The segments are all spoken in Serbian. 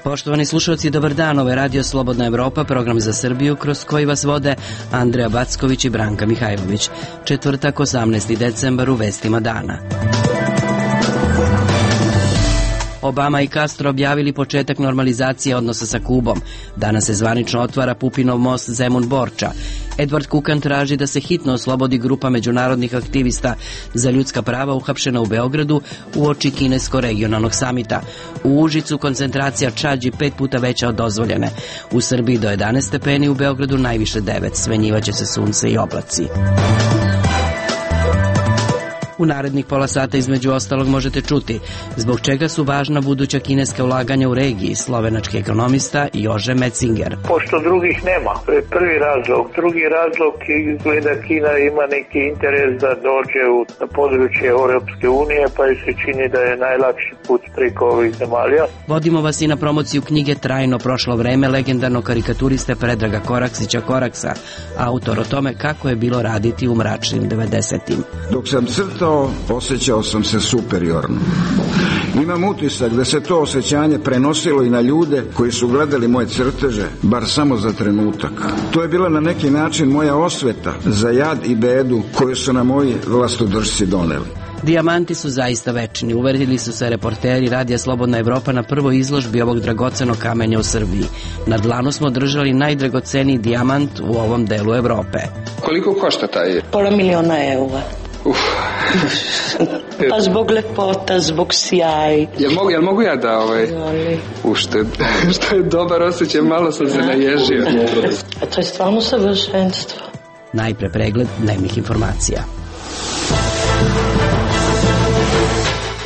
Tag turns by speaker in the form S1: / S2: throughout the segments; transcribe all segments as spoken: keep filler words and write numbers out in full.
S1: Poštovani slušalci, dobar dan, ovo je Radio Slobodna Evropa, program za Srbiju kroz koji vas vode Andreja Backović i Branka Mihajlović. Četvrtak, osamnaesti decembar, u vestima dana. Obama i Castro objavili početak normalizacije odnosa sa Kubom. Danas se zvanično otvara Pupinov most Zemun-Borča. Edward Kukan traži da se hitno oslobodi grupa međunarodnih aktivista za ljudska prava uhapšena u Beogradu uoči kinesko-regionalnog samita. U Užicu koncentracija čađi pet puta veća od dozvoljene. U Srbiji do jedanaest stepeni, u Beogradu najviše devet. Smenjivaće se sunce i oblaci. U narednih pola sata između ostalog možete čuti zbog čega su važna buduća kineska ulaganja u regiji, slovenački ekonomista Jože Metzinger.
S2: Pošto drugih nema, to je prvi razlog. Drugi razlog izgleda Kina ima neki interes da dođe u područje Europske unije, pa se čini da je najlakši put preko ovih zemalja.
S1: Vodimo vas i na promociju knjige Trajno prošlo vreme legendarnog karikaturiste Predraga Koraksića Koraksa, autor o tome kako je bilo raditi u mračnim devedesetim.
S3: Dok sam crtao, osjećao sam se superiorno. Imam utisak da se to osjećanje prenosilo i na ljude koji su gledali moje crteže, bar samo za trenutak. To je bila na neki način moja osveta za jad i bedu koju su na moji vlastodržci doneli.
S1: Dijamanti su zaista večni, uverili su se reporteri Radija Slobodna Evropa na prvoj izložbi ovog dragocenog kamenja u Srbiji. Na dlanu smo držali najdragoceniji dijamant u ovom delu Evrope.
S4: Koliko košta taj?
S5: Pola miliona eura.
S4: Uf.
S5: Pa zbog lepota, zbog sjaj.
S4: Jel mogu, jel mogu ja da ovaj ušted? Što je dobar osjećaj, malo sam se naježio.
S5: A to je stvarno savršenstvo.
S1: Najpre pregled dnevnih informacija.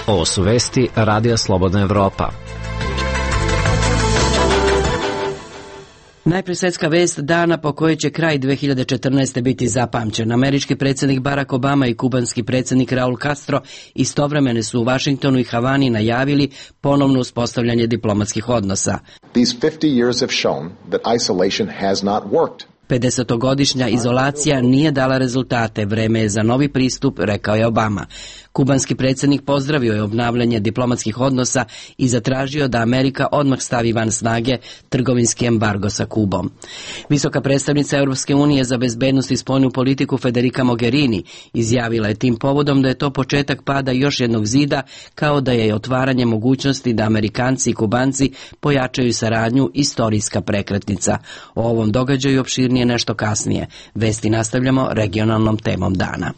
S6: Ovo su vesti Radija Slobodna Evropa.
S1: Najpre svetska vest dana po kojoj će kraj dve hiljade četrnaeste. biti zapamćen. Američki predsjednik Barack Obama i kubanski predsjednik Raul Castro istovremeno su u Vašingtonu i Havani najavili ponovno uspostavljanje diplomatskih odnosa.
S7: These fifty years have shown that isolation has not worked.
S1: pedesetogodišnja izolacija nije dala rezultate, vreme je za novi pristup, rekao je Obama. Kubanski predsjednik pozdravio je obnavljanje diplomatskih odnosa i zatražio da Amerika odmah stavi van snage trgovinski embargo sa Kubom. Visoka predstavnica Europske unije za bezbednost i spoljnu politiku Federica Mogherini izjavila je tim povodom da je to početak pada još jednog zida, kao da je otvaranje mogućnosti da Amerikanci i Kubanci pojačaju saradnju istorijska prekretnica. O ovom događaju opširnije nešto kasnije. Vesti nastavljamo regionalnom temom dana.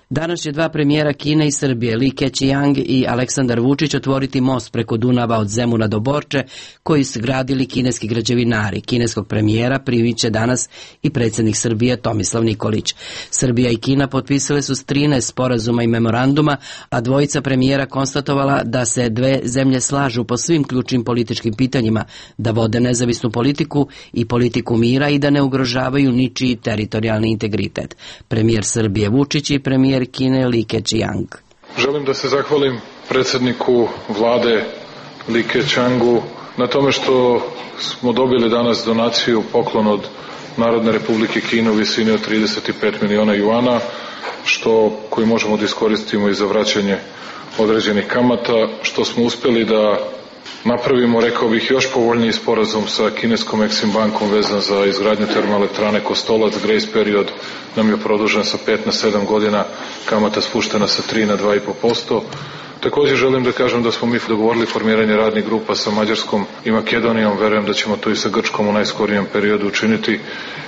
S1: Danas će dva premijera Kine i Srbije, Li Keqiang i Aleksandar Vučić, otvoriti most preko Dunava od Zemuna do Borče, koji su gradili kineski građevinari. Kineskog premijera primit će danas i predsjednik Srbije Tomislav Nikolić. Srbija i Kina potpisale su trinaest sporazuma i memoranduma, a dvojica premijera konstatovala da se dve zemlje slažu po svim ključnim političkim pitanjima, da vode nezavisnu politiku i politiku mira i da ne ugrožavaju ničiji teritorijalni integritet. Premijer Srbije Vučić i premijer Kine Li Keqiang.
S8: Želim da se zahvalim predsjedniku vlade Li Keqiangu na tome što smo dobili danas donaciju, poklon od Narodne republike Kine u visini od trideset pet miliona juana, što, koji možemo da iskoristimo i za vraćanje određenih kamata, što smo uspjeli da napravimo, rekao bih, još povoljniji sporazum sa kineskom Exim bankom vezan za izgradnju termoelektrane Kostolac. Grace period nam je produžen sa pet na sedam godina, kamata spuštena sa tri na dva i po posto. Također želim da kažem da smo mi dogovorili formiranje radnih grupa sa Mađarskom i Makedonijom. Verujem da ćemo to i sa Grčkom u najskorijem periodu učiniti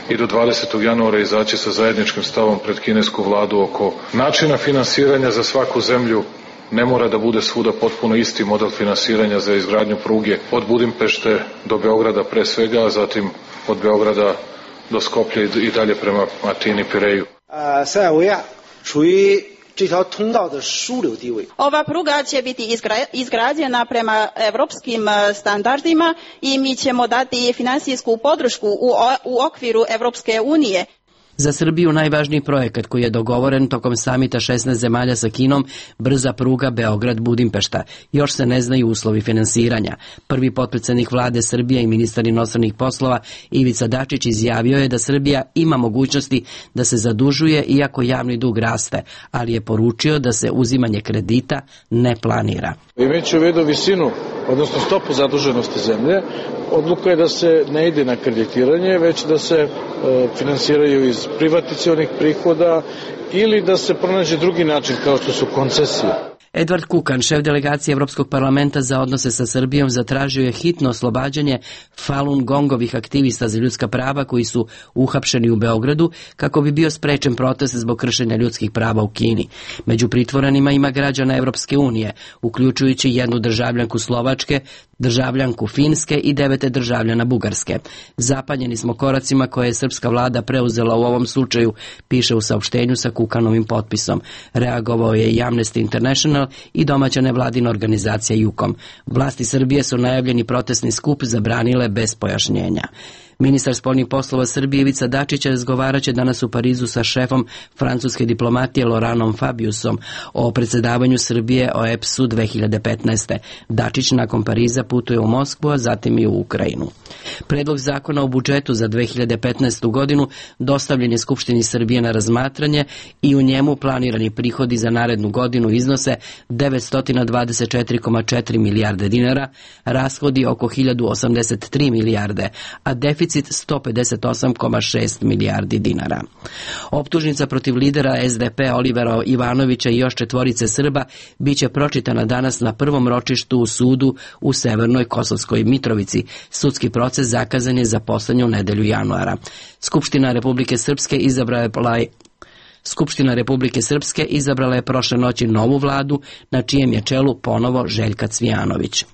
S8: i do dvadesetog januara izaći sa zajedničkim stavom pred kinesku vladu oko načina finansiranja za svaku zemlju. Ne mora da bude svuda potpuno isti model finansiranja za izgradnju pruge od Budimpešte do Beograda pre svega, a zatim od Beograda do Skoplja i dalje prema Atini, Pireju.
S9: Ova pruga će biti izgrađena prema evropskim standardima i mi ćemo dati finansijsku podršku u okviru Evropske unije.
S1: Za Srbiju najvažniji projekat koji je dogovoren tokom samita šesnaest zemalja sa Kinom, brza pruga Beograd-Budimpešta. Još se ne znaju uslovi finansiranja. Prvi potpredsednik vlade Srbije i ministar inostranih poslova Ivica Dačić izjavio je da Srbija ima mogućnosti da se zadužuje iako javni dug raste, ali je poručio da se uzimanje kredita ne planira.
S10: Imajući u vidu visinu, odnosno stopu zaduženosti zemlje, odluka je da se ne ide na kreditiranje, već da se e, finansiraju iz privatizacionih prihoda ili da se pronađe drugi način kao što su koncesije.
S1: Edvard Kukan, šef delegacije Evropskog parlamenta za odnose sa Srbijom, zatražio je hitno oslobađanje Falun Gongovih aktivista za ljudska prava koji su uhapšeni u Beogradu kako bi bio sprečen protest zbog kršenja ljudskih prava u Kini. Među pritvorenima ima građana Evropske unije, uključujući jednu državljanku Slovačke, državljanku Finske i devete državljana Bugarske. Zapanjeni smo koracima koje je srpska vlada preuzela u ovom slučaju, piše u saopštenju sa Kukanovim potpisom. Reagovao je i Amnesty International i domaća nevladina organizacija Jukom. Vlasti Srbije su najavljeni protestni skup zabranile bez pojašnjenja. Ministar spoljnih poslova Srbije Ivica Dačić razgovaraće danas u Parizu sa šefom francuske diplomatije Laurentom Fabiusom o predsedavanju Srbije o E P S-u dve hiljade petnaeste. Dačić nakon Pariza putuje u Moskvu, a zatim i u Ukrajinu. Predlog zakona o budžetu za dve hiljade petnaestu godinu dostavljen je Skupštini Srbije na razmatranje i u njemu planirani prihodi za narednu godinu iznose devetsto dvadeset četiri zarez četiri milijarde dinara, rashodi oko hiljadu osamdeset tri milijarde, a deficit sto pedeset osam zarez šest milijardi dinara. Optužnica protiv lidera S D P Olivera Ivanovića i još četvorice Srba biće pročitana danas na prvom ročištu u sudu u Severnoj Kosovskoj Mitrovici. Sudski proces zakazan je za poslednju nedelju januara. Skupština Republike Srpske izabrala je Skupština Republike Srpske izabrala je prošle noći novu vladu, na čijem je čelu ponovo Željka Cvijanović.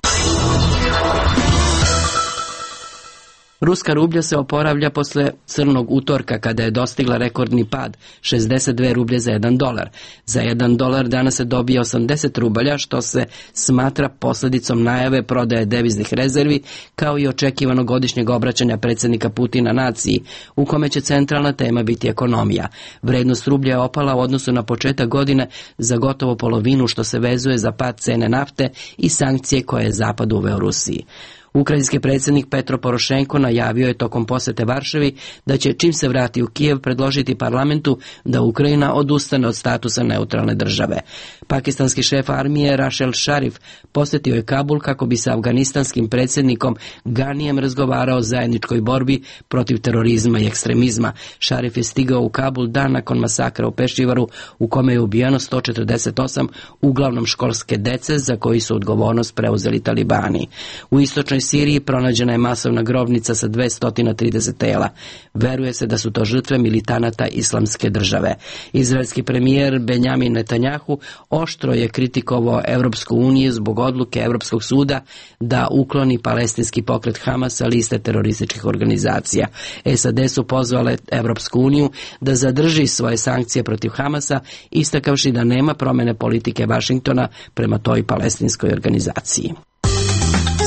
S1: Ruska rublja se oporavlja posle crnog utorka kada je dostigla rekordni pad, šezdeset dve rublje za jedan dolar. Za jedan dolar danas se dobija osamdeset rubalja, što se smatra posledicom najave prodaje deviznih rezervi, kao i očekivanog godišnjeg obraćanja predsjednika Putina naciji, u kome će centralna tema biti ekonomija. Vrednost rublja je opala u odnosu na početak godine za gotovo polovinu, što se vezuje za pad cene nafte i sankcije koje je Zapad uveo Rusiji. Ukrajinski predsjednik Petro Porošenko najavio je tokom posete Varšavi da će čim se vrati u Kijev predložiti parlamentu da Ukrajina odustane od statusa neutralne države. Pakistanski šef armije Rašel Šarif posjetio je Kabul kako bi sa afganistanskim predsjednikom Ganijem razgovarao o zajedničkoj borbi protiv terorizma i ekstremizma. Šarif je stigao u Kabul dan nakon masakra u Pešivaru u kome je ubijeno sto četrdeset osam uglavnom školske dece za koji su odgovornost preuzeli talibani. U istočnoj Siriji pronađena je masovna grobnica sa dvesta trideset tela. Veruje se da su to žrtve militanata islamske države. Izraelski premijer Benjamin Netanjahu oštro je kritikovao Evropsku uniju zbog odluke Evropskog suda da ukloni palestinski pokret Hamas sa liste terorističkih organizacija. S A D su pozvale Evropsku uniju da zadrži svoje sankcije protiv Hamasa, istakavši da nema promene politike Vašingtona prema toj palestinskoj organizaciji.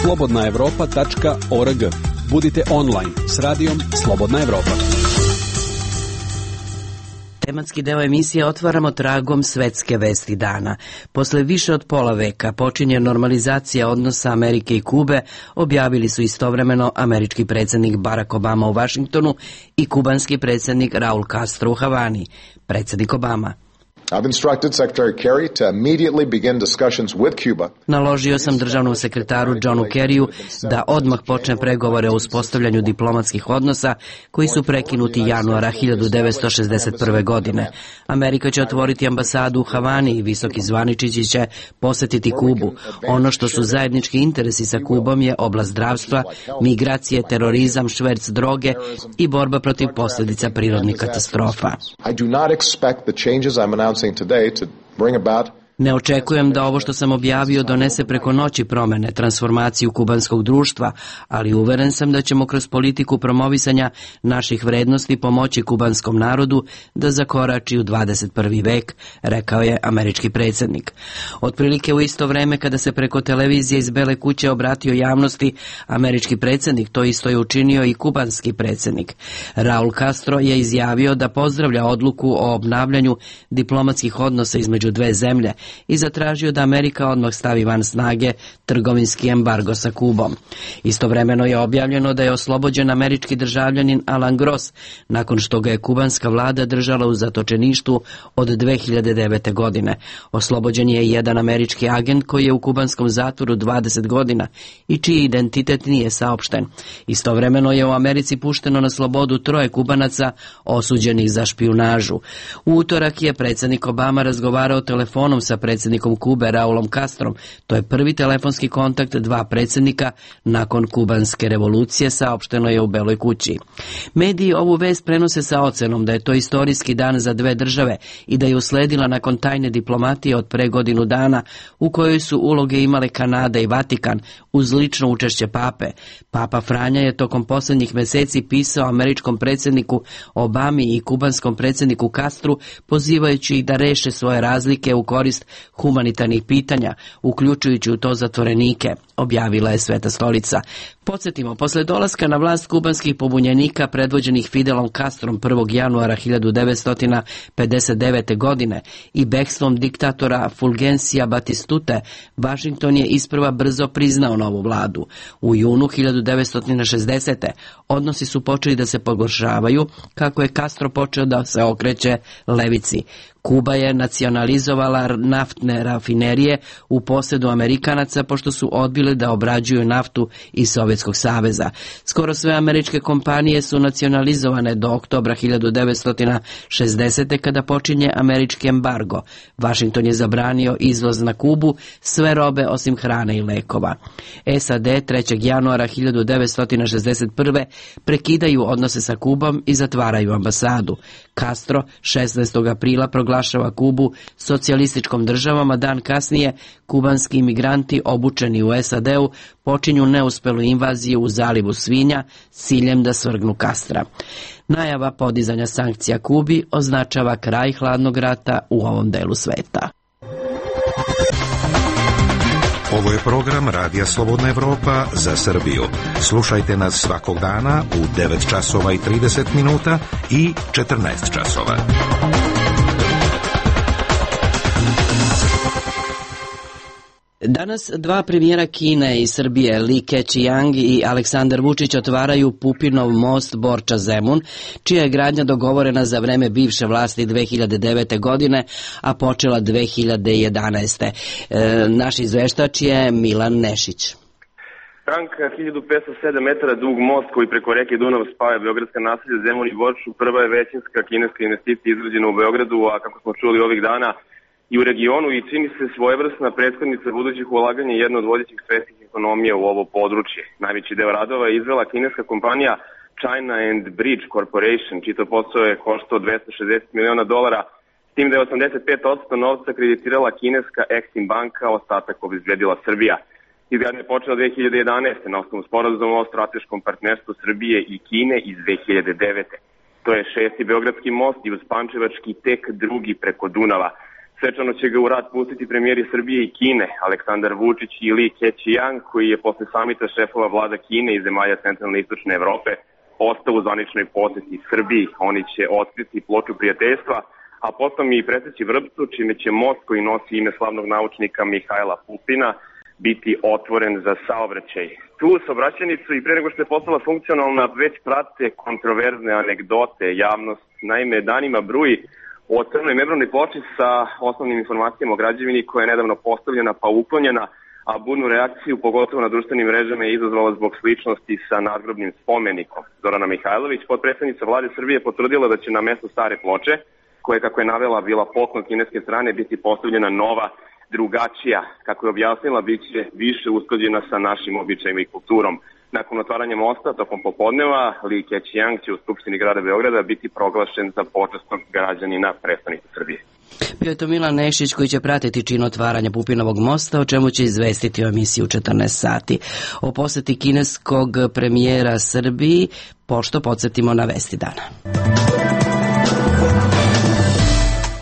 S11: slobodna evropa tačka org. Budite online s radijom Slobodna Evropa.
S1: Tematski deo emisije otvaramo tragom svetske vesti dana. Posle više od pola veka počinje normalizacija odnosa Amerike i Kube, objavili su istovremeno američki predsjednik Barack Obama u Vašingtonu i kubanski predsjednik Raul Castro u Havani. Predsjednik Obama:
S7: I've instructed Secretary Kerry to immediately begin discussions with Cuba.
S1: Naložio sam državnom sekretaru Johnu Kerryu da odmah počne pregovore o uspostavljanju diplomatskih odnosa koji su prekinuti januara hiljadu devetsto šezdeset prve. godine. Amerika će otvoriti ambasadu u Havani i visoki zvaničići će posjetiti Kubu. Ono što su zajednički interesi sa Kubom je oblast zdravstva, migracije, terorizam, šverc droge i borba protiv posljedica prirodnih katastrofa.
S7: I do not expect the changes I'm announcing today to bring about
S1: Ne očekujem da ovo što sam objavio donese preko noći promene, transformaciju kubanskog društva, ali uveren sam da ćemo kroz politiku promovisanja naših vrednosti pomoći kubanskom narodu da zakorači u dvadeset prvi vek, rekao je američki predsjednik. Otprilike u isto vreme kada se preko televizije iz Bele kuće obratio javnosti američki predsjednik, to isto je učinio i kubanski predsjednik. Raul Castro je izjavio da pozdravlja odluku o obnavljanju diplomatskih odnosa između dve zemlje i zatražio da Amerika odmah stavi van snage trgovinski embargo sa Kubom. Istovremeno je objavljeno da je oslobođen američki državljanin Alan Gross nakon što ga je kubanska vlada držala u zatočeništvu od dve hiljade devete. godine. Oslobođen je jedan američki agent koji je u kubanskom zatvoru dvadeset godina i čiji identitet nije saopšten. Istovremeno je u Americi pušteno na slobodu troje Kubanaca osuđenih za špijunažu. U utorak je predsjednik Obama razgovarao telefonom sa predsjednikom Kube Raulom Castrom. To je prvi telefonski kontakt dva predsjednika nakon kubanske revolucije, saopšteno je u Beloj kući. Mediji ovu vest prenose sa ocenom da je to istorijski dan za dve države i da je usledila nakon tajne diplomatije od pre godinu dana u kojoj su uloge imale Kanada i Vatikan uz lično učešće pape. Papa Franja je tokom posljednjih mjeseci pisao američkom predsjedniku Obami i kubanskom predsjedniku Castru pozivajući ih da reše svoje razlike u korist humanitarnih pitanja, uključujući u to zatvorenike, objavila je Sveta stolica. Podsjetimo, posle dolaska na vlast kubanskih pobunjenika predvođenih Fidelom Castrom prvog januara hiljadu devetsto pedeset devete. godine i bekstvom diktatora Fulgencija Batistute, Washington je isprva brzo priznao novu vladu. U junu hiljadu devetsto šezdesete. odnosi su počeli da se pogoršavaju kako je Castro počeo da se okreće levici. Kuba je nacionalizovala naftne rafinerije u posjedu Amerikanaca pošto su odbili da obrađuju naftu iz Sovjetskog saveza. Skoro sve američke kompanije su nacionalizovane do oktobra hiljadu devetsto šezdesete. kada počinje američki embargo. Washington je zabranio izvoz na Kubu sve robe osim hrane i lekova. S A D trećeg januara hiljadu devetsto šezdeset prve. prekidaju odnose sa Kubom i zatvaraju ambasadu. Castro šesnaestog aprila proglašava Kubu socijalističkom državom, a dan kasnije kubanski imigranti obučeni u S A D-u počinju neuspelu invaziju u zalivu Svinja s ciljem da svrgnu Castra. Najava podizanja sankcija Kubi označava kraj hladnog rata u ovom delu sveta.
S12: Ovo je program Radija Slobodna Evropa za Srbiju. Slušajte nas svakog dana u devet časova i trideset minuta i četrnaest časova.
S1: Danas dva premijera Kine i Srbije, Li Keqiang i Aleksandar Vučić, otvaraju Pupinov most Borča-Zemun, čija je gradnja dogovorena za vreme bivše vlasti dve hiljade devete. godine, a počela dve hiljade jedanaeste. E, naš izveštač je Milan Nešić.
S13: Tank hiljadu petsto sedam metara dug most koji preko reke Dunav spaja beogradska naselja Zemun i Borču prva je većinska kineska investicija izgrađena u Beogradu, a kako smo čuli ovih dana i u regionu, i čini se svojevrsna prethodnica budućih ulaganja i jedna od vodećih svetskih ekonomija u ovo područje. Najveći deo radova je izvela kineska kompanija China and Bridge Corporation, čiji to posao je koštao dvesta šezdeset miliona dolara, s tim da je osamdeset pet posto novca kreditirala kineska Exim banka, ostatak obezbedila Srbija. Izgradnja je počela dve hiljade jedanaeste. na osnovu sporazuma o strateškom partnerstvu Srbije i Kine iz dve hiljade devete. To je šesti beogradski most i uz Pančevački tek drugi preko Dunava. Svečano će ga u rad pustiti premijeri Srbije i Kine, Aleksandar Vučić i Li Keqiang, koji je posle samita šefova vlada Kine i zemalja centralne i istočne Evrope ostao u zvaničnoj poseti Srbiji. Oni će otkriti ploču prijateljstva, a potom i preseći Vrpcu, čime će most koji nosi ime slavnog naučnika Mihajla Pupina biti otvoren za saobraćaj. Tu saobraćajnicu i pre nego što je postala funkcionalna već prate kontroverzne anegdote. Javnost naime danima bruji o crnoj membranoj ploči sa osnovnim informacijama o građevini koja je nedavno postavljena pa uklonjena, a burnu reakciju pogotovo na društvenim mrežama je izazvala zbog sličnosti sa nadgrobnim spomenikom. Zorana Mihajlović, potpredsednica vlade Srbije, potvrdila da će na mesto stare ploče, koja kako je navela bila poklon kineske strane, biti postavljena nova, drugačija. Kako je objasnila, bit će više usklađena sa našim običajima i kulturom. Nakon otvaranja mosta tokom popodneva, Li Keqiang će u Skupštini grada Beograda biti proglašen za počasnog građanina prestonice Srbije.
S1: Bio je to Milan Nešić koji će pratiti čin otvaranja Pupinovog mosta, o čemu će izvestiti u emisiji u četrnaest sati. O poseti kineskog premijera Srbiji, pošto podsjetimo na vesti dana.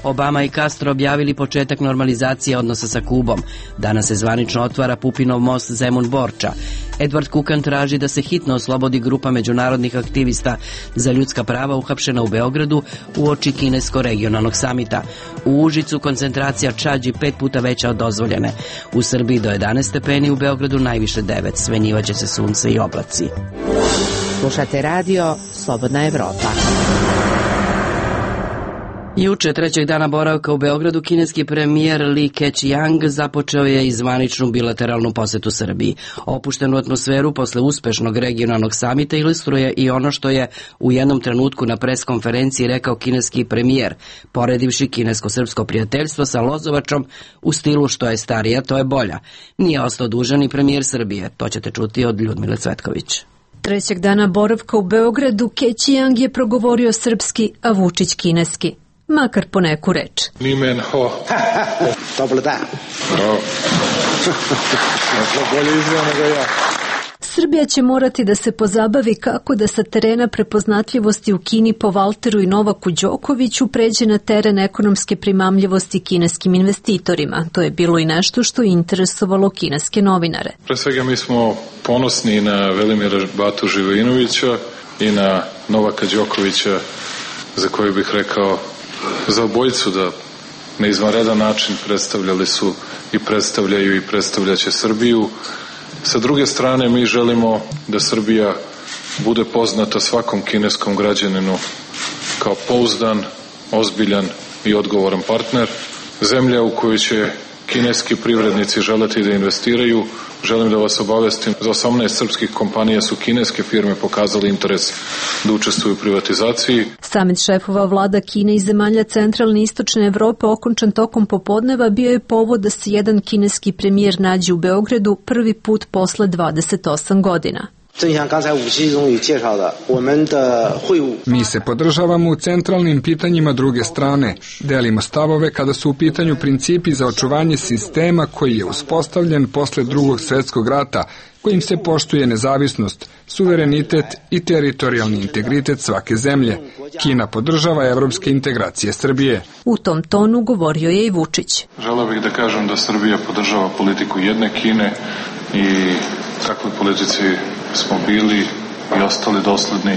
S1: Obama i Castro objavili početak normalizacije odnosa sa Kubom. Danas se zvanično otvara Pupinov most Zemun-Borča. Edward Kukan traži da se hitno oslobodi grupa međunarodnih aktivista za ljudska prava uhapšena u Beogradu uoči kinesko-regionalnog samita. U Užicu koncentracija čađi pet puta veća od dozvoljene. U Srbiji do jedanaest stepeni, u Beogradu najviše devet. Svenjivaće se sunce i oblaci.
S14: Slušate radio Slobodna Evropa.
S1: Juče, trećeg dana boravka u Beogradu, kineski premijer Li Keqiang započeo je i zvaničnu bilateralnu posetu Srbiji. Opuštenu atmosferu posle uspešnog regionalnog samita ilustruje i ono što je u jednom trenutku na pres konferenciji rekao kineski premijer, poredivši kinesko-srpsko prijateljstvo sa Lozovačom u stilu što je starija, to je bolja. Nije ostao dužan i premijer Srbije, to ćete čuti od Ljudmile Cvetković.
S15: Trećeg dana boravka u Beogradu Keqiang je progovorio srpski, a Vučić kineski. Makar po neku reč.
S8: Nimen ho.
S16: Dobar dan.
S8: Bravo. Bolje izgleda nego ja.
S15: Srbija će morati da se pozabavi kako da sa terena prepoznatljivosti u Kini po Valteru i Novaku Đokoviću pređe na teren ekonomske primamljivosti kineskim investitorima. To je bilo i nešto što je interesovalo kineske novinare.
S8: Pre svega mi smo ponosni na Velimira Batu Živojinovića i na Novaka Đokovića, za koje bih rekao za obojicu da na izvanredan način predstavljali su i predstavljaju i predstavljaće Srbiju. Sa druge strane, mi želimo da Srbija bude poznata svakom kineskom građaninu kao pouzdan, ozbiljan i odgovoran partner. Zemlja u kojoj će kineski privrednici želeti da investiraju. Želim da vas obavestim, za osamnaest srpskih kompanija su kineske firme pokazali interes da učestvuju u privatizaciji.
S15: Samit šefova vlada Kine i zemalja centralne i istočne Evrope okončan tokom popodneva bio je povod da se jedan kineski premijer nađe u Beogradu prvi put posle dvadeset osam godina.
S17: Mi se podržavamo u centralnim pitanjima druge strane. Delimo stavove kada su u pitanju principi za očuvanje sistema koji je uspostavljen posle drugog svjetskog rata, kojim se poštuje nezavisnost, suverenitet i teritorijalni integritet svake zemlje. Kina podržava evropske integracije Srbije.
S15: U tom tonu govorio je i Vučić.
S8: Želeo bih da kažem da Srbija podržava politiku jedne Kine i takvoj politici smo bili i ostali dosledni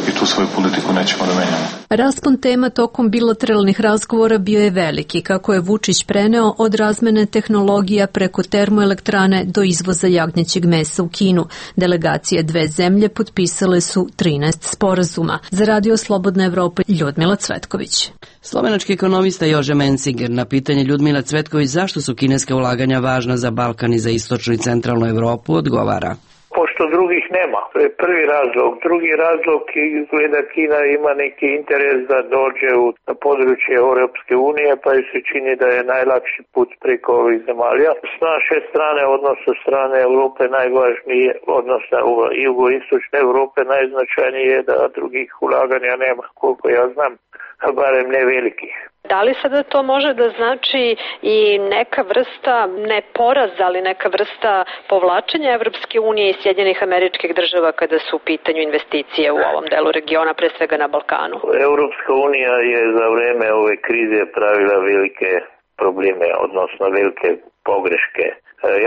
S8: i tu svoju politiku nećemo da menjamo.
S15: Raspon tema tokom bilateralnih razgovora bio je veliki, kako je Vučić preneo od razmene tehnologija preko termoelektrane do izvoza jagnjećeg mesa u Kinu. Delegacije dve zemlje potpisale su trinaest sporazuma. Za Radio Slobodna Evropa, Ljudmila Cvetković.
S1: Slovenački ekonomista Jože Mencinger na pitanje Ljudmila Cvetković zašto su kineske ulaganja važna za Balkan i za istočnu i centralnu Evropu odgovara.
S2: Pošto drugih nema. To je prvi razlog. Drugi razlog izgleda Kina ima neki interes da dođe u područje Europske unije, pa se čini da je najlakši put preko ovih zemalja. S naše strane, odnosno strane Europe, najvažnije, odnosno jugoistočne Europe, najznačajnije je da drugih ulaganja nema, koliko ja znam, barem ne velikih.
S18: Da li sada to može da znači i neka vrsta, ne poraz, ali neka vrsta povlačenja Evropske unije i Sjedinjenih Američkih Država kada su u pitanju investicije u ovom delu regiona, pre svega na Balkanu?
S2: Evropska unija je za vreme ove krize pravila velike probleme, odnosno velike pogreške.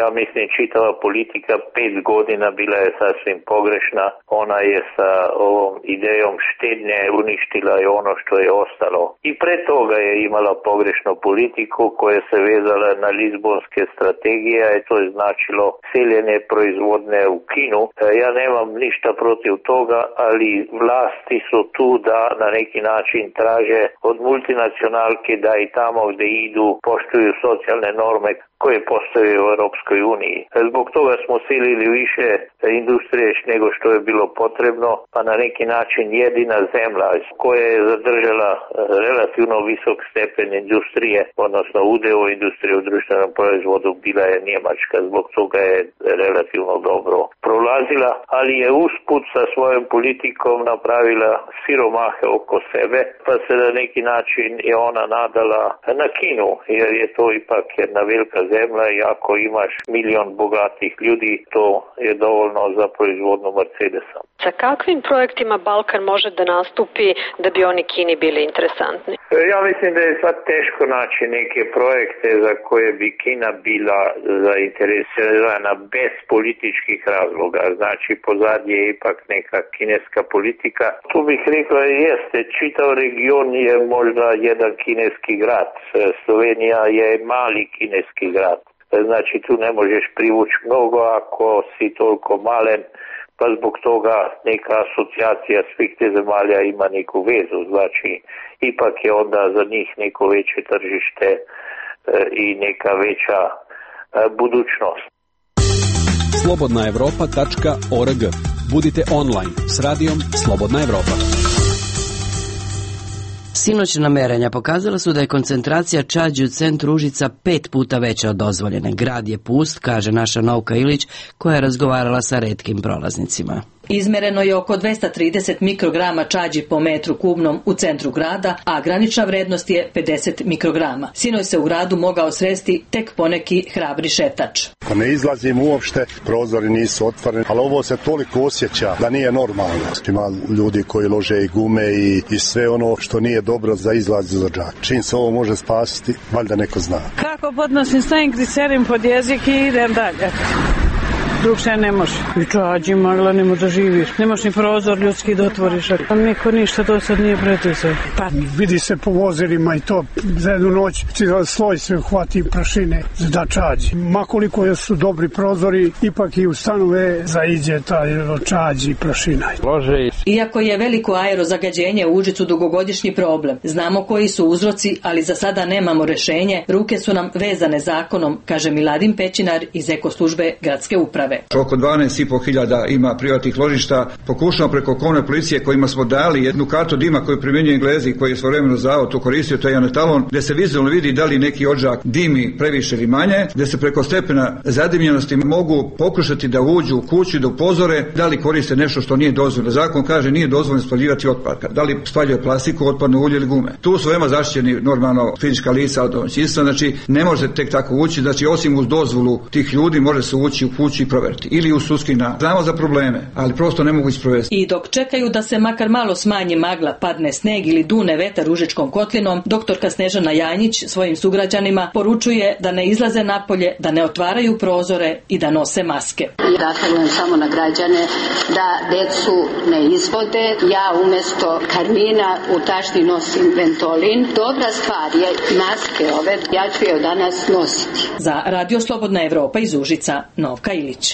S2: Ja mislim, čitava politika pet godina bila je sasvim pogrešna. Ona je sa ovom idejom štednje uništila i ono što je ostalo. I pre toga je imala pogrešnu politiku koja se vezala na Lizbonske strategije i to je značilo seljenje proizvodne u Kinu. Ja nemam ništa protiv toga, ali vlasti su tu da na neki način traže od multinacionalke da i tamo gde idu poštuju socijalne norme koje postoje u Europskoj uniji. Zbog toga smo silili više industrije nego što je bilo potrebno, pa na neki način jedina zemlja koja je zadržala relativno visok stepen industrije, odnosno udeo industrije u društvenom proizvodu, bila je Njemačka. Zbog toga je relativno dobro prolazila, ali je usput sa svojom politikom napravila siromahe oko sebe, pa se na neki način je ona nadala na Kinu, jer je to ipak jedna velika zemlja i ako imaš milion bogatih ljudi, to je dovoljno za proizvodnu Mercedesa.
S18: Sa kakvim projektima Balkan može da nastupi da bi oni Kini bili interesantni?
S2: Ja mislim da je sad teško naći neke projekte za koje bi Kina bila zainteresirana bez političkih razloga. Znači, pozadnje je ipak neka kineska politika. Tu bih rekla, jeste, čitav region je možda jedan kineski grad. Slovenija je mali kineski grad. Znači, tu ne možeš privući mnogo ako si toliko malen, pa zbog toga neka asocijacija svih te zemalja ima neku vezu. Znači, ipak je onda za njih neko veće tržište i neka veća budućnost.
S11: slobodna evropa tačka org. Budite online s radijom Slobodna Evropa.
S1: Sinoćna merenja pokazala su da je koncentracija čađi u centru Užica pet puta veća od dozvoljene. Grad je pust, kaže naša Novka Ilić, koja je razgovarala sa retkim prolaznicima.
S19: Izmereno je oko dvesta trideset mikrograma čađi po metru kubnom u centru grada, a granična vrednost je pedeset mikrograma. Sinoć se u gradu mogao sresti tek poneki hrabri šetač.
S20: Pa ne izlazim uopšte, prozori nisu otvoreni, ali ovo se toliko osjeća da nije normalno. Ima ljudi koji lože i gume i, i sve ono što nije dobro za izlaz za džak. Čim se ovo može spasiti, valjda neko zna.
S21: Kako podnosim, stavim glicerin pod jezik i idem dalje. Drugše ne može. I čađi magla, ne može da živiš. Ne možeš ni prozor ljudski da otvoriš. A niko ništa do sad nije pretisao.
S22: Pa vidi se po vozilima i to za jednu noć sloj se hvati prašine da čađi. Makoliko su dobri prozori, ipak i u stanove zaiđe taj čađi i prašina.
S19: Iako je veliko aerozagađenje u Užicu dugogodišnji problem, znamo koji su uzroci, ali za sada nemamo rešenje. Ruke su nam vezane zakonom, kaže Miladin Pećinar iz Ekoslužbe gradske uprave.
S3: Oko dvanaest i po hiljada ima privatnih ložišta. Pokušamo preko komunalne policije kojima smo dali jednu kartu dima koju primjenjuje Englezi, koji je svojevremeno zavod to koristio, to je jedan etalon, gde se vizualno vidi da li neki odžak dimi previše ili manje, gde se preko stepena zadimljenosti mogu pokušati da uđu u kuću i da upozore da li koriste nešto što nije dozvoljeno. Zakon kaže nije dozvoljeno spaljivati otpad. Da li spaljuje plastiku, otpadno ulje ili gume. Tu su veoma zaštićeni normalno fizička lica od domaćinstva, znači ne može tek tako ući, znači osim uz dozvolu tih ljudi može se ući u kuću i proveriti. Ili u sudski nalaz. Znamo za probleme, ali prosto ne mogu isprovesti.
S19: I dok čekaju da se makar malo smanji magla, padne sneg ili dune vetar Užičkom kotlinom, doktorka Snežana Janjić svojim sugrađanima poručuje da ne izlaze napolje, da ne otvaraju prozore i da nose maske.
S23: Ja apelujem samo na građane da decu ne izvode. Ja umesto karmina u tašni nosim Ventolin. Dobra stvar je maske ove. Ja ću je danas nositi.
S19: Za Radio Slobodna Evropa iz Užica, Novka Ilić.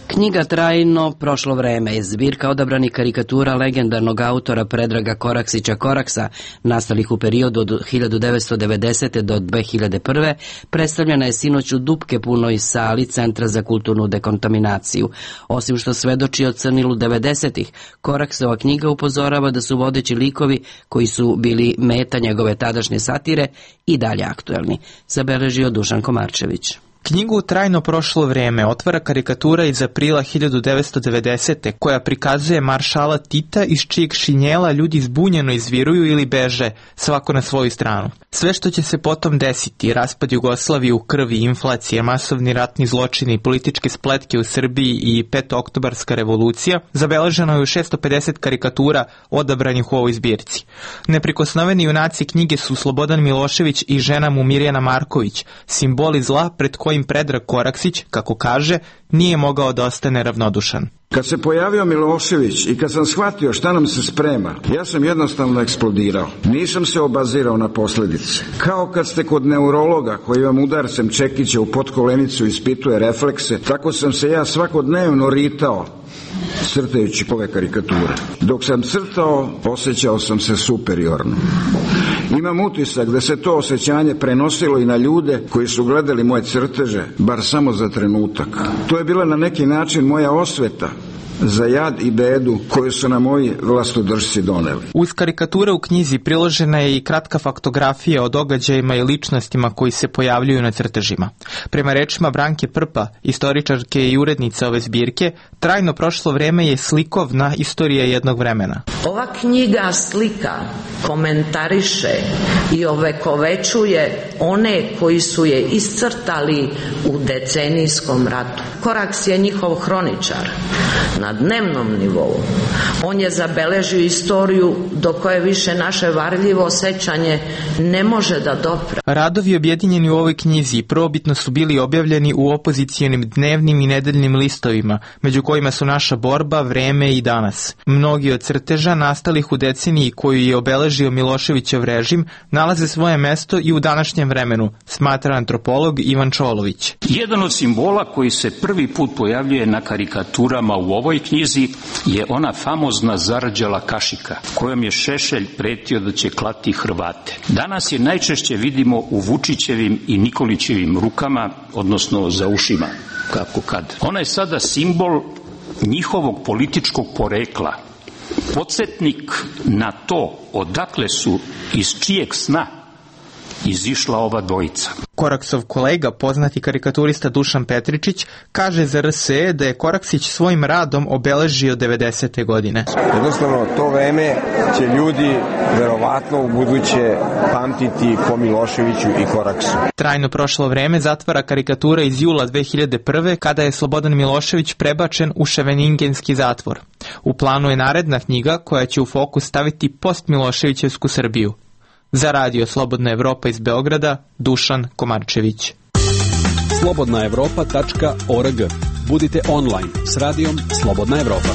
S1: Knjiga Trajno prošlo vreme je zbirka odabranih karikatura legendarnog autora Predraga Koraksića Koraksa, nastalih u periodu od hiljadu devetsto devedesete. do dve hiljade prve. Predstavljena je sinoć u dupke punoj sali Centra za kulturnu dekontaminaciju. Osim što svedoči o crnilu devedesetih, Koraksova knjiga upozorava da su vodeći likovi koji su bili meta njegove tadašnje satire i dalje aktuelni, zabeležio Dušan Komarčević.
S24: Knjigu Trajno prošlo vreme otvara karikatura iz aprila hiljadu devetsto devedesete. koja prikazuje maršala Tita iz čijeg šinjela ljudi zbunjeno izviruju ili beže, svako na svoju stranu. Sve što će se potom desiti, raspad Jugoslavije u krvi, inflacija, masovni ratni zločini, političke spletke u Srbiji i petooktobarska revolucija, zabeleženo je u šesto pedeset karikatura odabranih u ovoj zbirci. Neprikosnoveni junaci knjige su Slobodan Milošević i žena mu Mirjana Marković, simboli zla pred kojim Predrag Koraksić, kako kaže, nije mogao da ostane ravnodušan.
S3: Kad se pojavio Milošević i kad sam shvatio šta nam se sprema, ja sam jednostavno eksplodirao. Nisam se obazirao na posljedice. Kao kad ste kod neurologa koji vam udarcem čekića u potkolenicu ispituje reflekse, tako sam se ja svakodnevno ritao crtajući ove karikature. Dok sam crtao, osjećao sam se superiorno. Imam utisak da se to osjećanje prenosilo i na ljude koji su gledali moje crteže, bar samo za trenutak. To je bila na neki način moja osveta za jad i bedu koju su na moji vlastodržci doneli.
S24: Uz karikature u knjizi priložena je i kratka faktografija o događajima i ličnostima koji se pojavljuju na crtežima. Prema rečima Branke Prpa, istoričarke i urednice ove zbirke, trajno prošlo vreme je slikovna istorija jednog vremena.
S4: Ova knjiga slika, komentariše i ovekovećuje one koji su je iscrtali u decenijskom ratu. Koraks je njihov hroničar. Na dnevnom nivou on je zabeležio istoriju do koje više naše varljivo sećanje ne može da dopre.
S24: Radovi objedinjeni u ovoj knjizi prvobitno su bili objavljeni u opozicijonim dnevnim i nedeljnim listovima, među kojima su Naša borba, Vreme i Danas. Mnogi od crteža nastalih u deceniji koju je obeležio Miloševićev režim nalaze svoje mesto i u današnjem vremenu, smatra antropolog Ivan Čolović.
S5: Jedan od simbola koji se prvi put pojavljuje na karikaturama u ovoj knjizi je ona famozna zarđala kašika, kojom je Šešelj pretio da će klati Hrvate. Danas je najčešće vidimo u Vučićevim i Nikolićevim rukama, odnosno za ušima, kako kad. Ona je sada simbol njihovog političkog porekla, podsjetnik na to odakle su, iz čijeg sna izišla ova dvojica.
S24: Koraksov kolega, poznati karikaturista Dušan Petričić, kaže za R S E da je Koraksić svojim radom obeležio devedesete godine.
S6: Jednostavno, to vreme će ljudi verovatno u buduće pamtiti po Miloševiću i Koraksu.
S24: Trajno prošlo vreme zatvara karikatura iz jula dve hiljade prve kada je Slobodan Milošević prebačen u Ševeningenski zatvor. U planu je naredna knjiga koja će u fokus staviti post-Miloševićevsku Srbiju. Za radio Slobodna Evropa iz Beograda, Dušan Komarčević.
S11: slobodna evropa tačka org. Budite online s radijom Slobodna Evropa.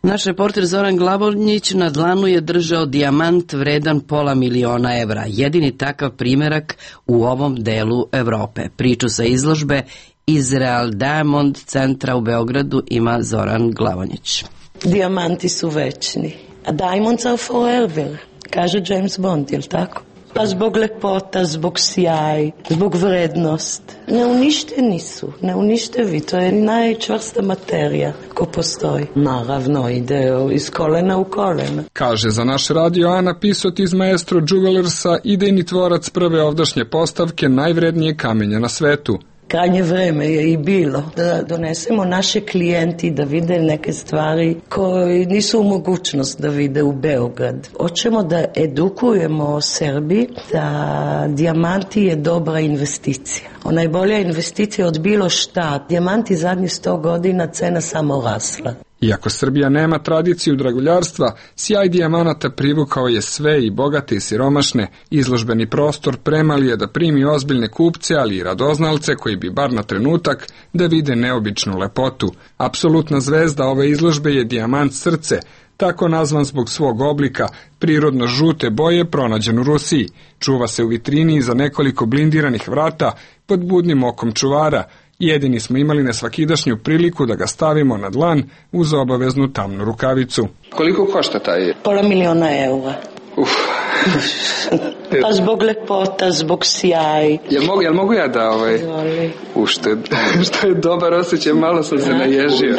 S1: Naš reporter Zoran Glavonjić na dlanu je držao dijamant vredan pola miliona evra. Jedini takav primjerak u ovom delu Evrope. Priču sa izložbe Israel Diamond centra u Beogradu ima Zoran Glavonjić.
S9: Dijamanti su večni. A diamonds are forever, kaže James Bond, je li tako? Pa zbog lepota, zbog sjaj, zbog vrednost. Neuništeni su, neuništevi, to je najčvrsta materija ko postoji. Naravno, ide iz kolena u kolena.
S17: Kaže za naš radio Ana Pisot iz Maestro Jewelersa, idejni tvorac prve ovdašnje postavke najvrednije kamenja na svetu.
S9: Krajnje vreme je i bilo da donesemo naše klijenti da vide neke stvari koje nisu u mogućnost da vide u Beograd. Hoćemo da edukujemo o Srbiji da dijamanti je dobra investicija. Ona je bolja investicija od bilo šta. Dijamanti zadnjih sto godina cena samo rasla.
S17: Iako Srbija nema tradiciju draguljarstva, sjaj dijamanata privukao je sve i bogate i siromašne. Izložbeni prostor premali je da primi ozbiljne kupce, ali i radoznalce koji bi bar na trenutak da vide neobičnu lepotu. Apsolutna zvezda ove izložbe je dijamant srce, tako nazvan zbog svog oblika, prirodno žute boje pronađen u Rusiji. Čuva se u vitrini iza nekoliko blindiranih vrata pod budnim okom čuvara. Jedini smo imali nesvakidašnju priliku da ga stavimo na dlan uz obaveznu tamnu rukavicu.
S6: Koliko košta taj?
S9: Pola miliona eura.
S6: Uf.
S9: Pa zbog lepota, zbog sjaj.
S6: Jel mogu, jel mogu ja da ovaj ušted? Što je dobar osjećaj, malo sam se naježio.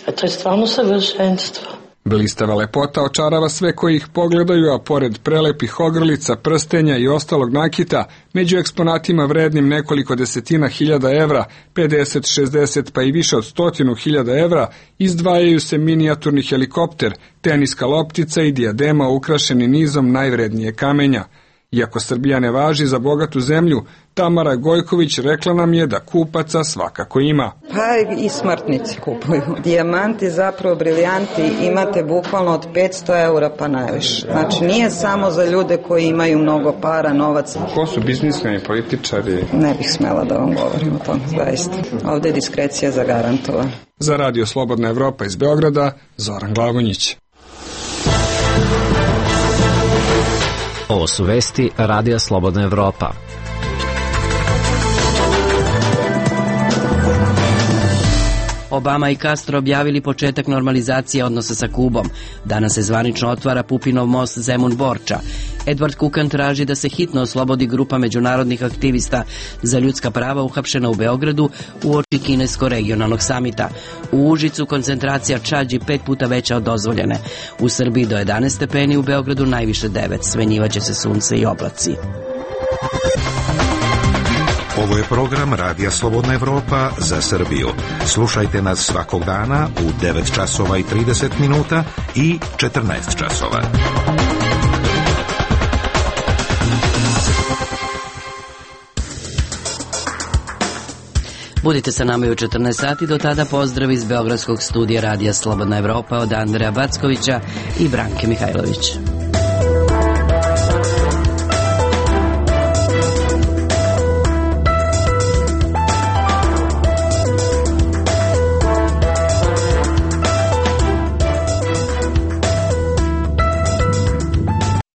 S9: A to je stvarno savršenstvo.
S17: Blistava lepota očarava sve koji ih pogledaju, a pored prelepih ogrlica, prstenja i ostalog nakita, među eksponatima vrednim nekoliko desetina hiljada evra, pedeset, šezdeset pa i više od stotinu hiljada evra, izdvajaju se minijaturni helikopter, teniska loptica i dijadema ukrašeni nizom najvrednije kamenja. Iako Srbija ne važi za bogatu zemlju, Tamara Gojković rekla nam je da kupaca svakako ima.
S25: Pa i smrtnici kupuju. Dijamanti, zapravo briljanti, imate bukvalno od petsto eura pa najviše. Znači nije samo za ljude koji imaju mnogo para, novac.
S6: Ko su biznismeni političari?
S25: Ne bih smela da vam govorim o tom, zaista. Ovde je diskrecija zagarantovana.
S17: Za radio Slobodna Evropa iz Beograda, Zoran Glavonjić.
S26: Ovo su vesti Radija Slobodna Evropa.
S1: Obama i Castro objavili početak normalizacije odnosa sa Kubom. Danas se zvanično otvara Pupinov most Zemun-Borča. Edward Kukan traži da se hitno oslobodi grupa međunarodnih aktivista za ljudska prava uhapšena u Beogradu uoči kinesko-regionalnog samita. U Užicu koncentracija čađi pet puta veća od dozvoljene. U Srbiji do jedanaest stepeni, u Beogradu najviše devet. Smenjivaće se sunce i oblaci.
S7: Ovo je program Radija Slobodna Evropa za Srbiju. Slušajte nas svakog dana u devet časova i trideset minuta i četrnaest časova.
S1: Budite sa nama i u četrnaest sati, do tada pozdrav iz Beogradskog studija Radija Slobodna Evropa od Andreja Backovića i Branke Mihajlović.